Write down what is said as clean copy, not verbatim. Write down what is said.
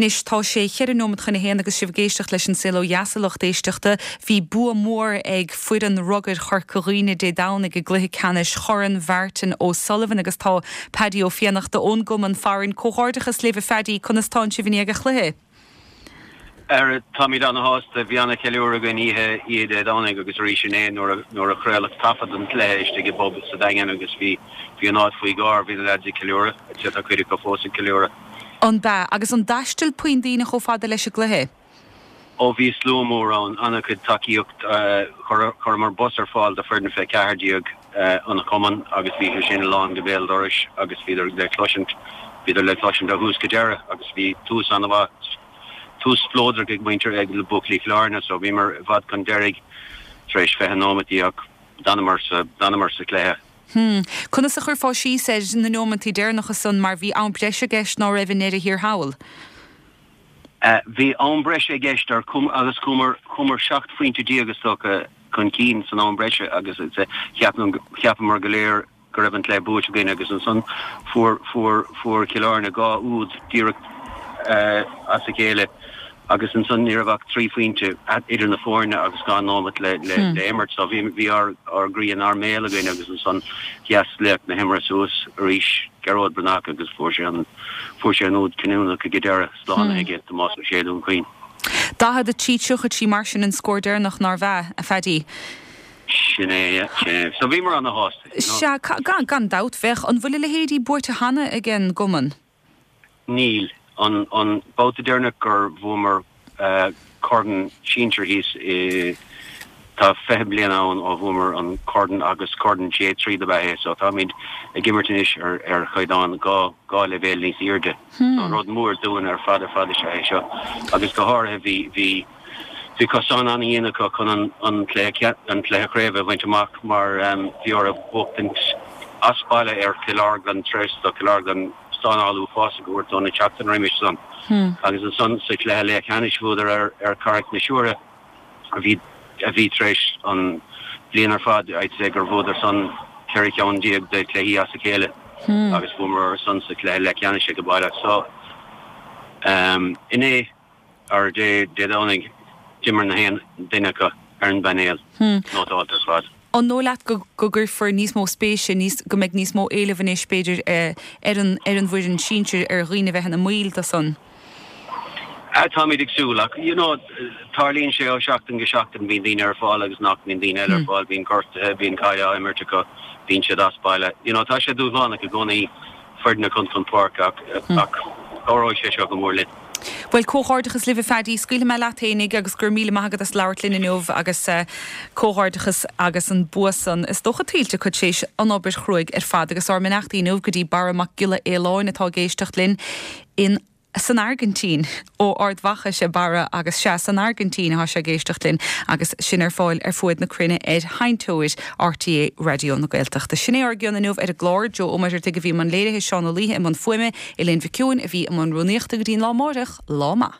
Anois tá sé cheithre nóimeat chun a haon agus sibh ag éisteacht leis An Saol Ó Dheas a lucht éisteachta. Bhí bua mór ag foireann rugair Chorca Dhuibhne Dé Domhnaigh i gcluiche ceannais Chorn Mhartin O'Sullivan agus tá Paddy Ó Fiannachta ón gcumann farainn. Comhghairdeachas libh a Phaddy, conas tánn sibh i ndiaidh an chluiche? Ara, táimid ana-shásta. Bhí ana-cheiliúradh againn oíche oíche Dé Domhnaigh agus arís inné nuair a nuair a craoladh taifead an chluiche istigh i bpub sa Daingean agus bhí bhí an áit faoi gháir, bhí na leaids ag ceiliúradh, sea tá cuid acu fós ag ceiliúradh. An b'ea? Agus an dtaistil puinn daoine chomh fada leis an gcluiche? Ó bhí slua mór ann, an-chuid tacaíocht. Chuireamar bus ar fáil do foireann fé 14 an chumainn agus bhí sé sin lán go béal dorais agus bhíodar le cloisint, bhíodar le cloisint ó thús go deireadh agus bhí tús an-mhaith, tús spleodrach ag muintir, ag buachaillí Chill Airne so bhíomar i bhfad chun deiridh tar éis 20 nóimeataí ach d'fhanamar sa, d'fhanamar sa chluiche. Hmm. Conas a chuirfeá síos ar na nóimeantaí deireanacha san mar bhí am breise i gceist ná raibh i ndeireadh thiar thall? Bhí am breise i gceist ar agus chuamar, chuamar 17 phointe is dócha chun cinn san am breise agus cheapamar go léir go raibh an cluiche buaite againn agus ansan fuair, fuair, fuair Cill Airne dhá úd díreach as a chéile agus ansan ní raibh ach 3 phointe idir na foirne agus 2 nóimeat le, le, le imirt so bhí, bhí ár, ár gcroí inár mbéal againn agus ansan sheas laoch na himeartha suas arís, Gearóid Breathnach agus fuair sé an, fuair sé an úd cinniúnach ag an deireadh, slánaithe aige Tomás Ó Sé Dún Chaoin. 43 33 mar sin an scór deireanach, nárbh ea, a Phaddy? Sin é, yeah, sin é. So bhíomar ana-shásta, you know. Sea, gan, gan dabht, bheadh. An bhfuil a leithéidí buaite cheana ag an gcumann? Níl. An, an babhta deireanach gur bhuamar corn sinsir thíos i, tá 20 bliain ann ó bhuamar an corn agus corn J3 dob ea é so táimid ag imirt anois ar, ar chaighdeán 2, 2 leibhéal níos airde. So rud mór dúinn ar fad ar fad is ea é seo agus go háirithe bhí, bhí, bhí cosán an-dhian acu chun an, an cluiche, an cluiche craoibhe a bhaint amach mar bhí orthu buachtaint as baile ar Chill Orglan tar éis do Chill Orglan stánáil uafásach a thabhairt dóibh an tseachtain roimis san agus ansan sa chluiche leathcheannais bhuadar ar ar Carraig na Siúire a bhí a bhí tar éis an bhliain ar fad I'd say gur bhuadar san 14 ceann de chluichí as a chéile agus bhuamar orthu san sa chluiche leathcheannais ag baile so inné ar Dé Domhnaigh, d'imir na haon duine acu ar an bpainéal nótálta ar fad. An dóigh leat go gcuirfear níos mó spéise, níos, go mbeidh níos mó éilimh anois, b'fhéidir, ar an, ar an bhfoireann sinsir, ar dhaoine a bheith ina mbaill de san? Táimid ag súil, ach you know, tarlaíonn sé ó sheachtain go seachtain, bíonn daoine ar fáil agus nach mbíonn daoine eile ar fáil, bíonn gortuithe, bíonn caid á imirt acu, bíonn siad as baile. You know, tá sé dúshlánach i gcónaí foireann a chur chun páirce ach, ach cabhróidh sé seo go mór linn. Bhuel, comhghairdeachas libh a Phaddy. Scaoilfidh mé leat fhéinig agus go raibh míle maith agat as labhairt linn inniu agus comhghairdeachas agus an bua san is dócha tuillte acu tar éis an obair chruaidh ar fad agus ár mbeannachtaí inniu go dtí Barra Mac Giolla Aoláin atá ag éisteacht linn in san Airgintín. Ó Ard Mhacha is ea Barra agus sea, san Airgintín atá sé ag éisteacht linn agus sinn ar fáil ar fuaid na cruinne ar sheinnteoir RTÉ Raidió na Gaeltachta. Sin é ár gcion inniu ar an gclár. Joe Ó Muircheartaigh a bhí i mbun léirithe, Seán Ó Laoithe i mbun fuaime, Elaine Mhic Eoin a bhí i mbun rúnaíochta go dtí an lá amáireach, lá maith.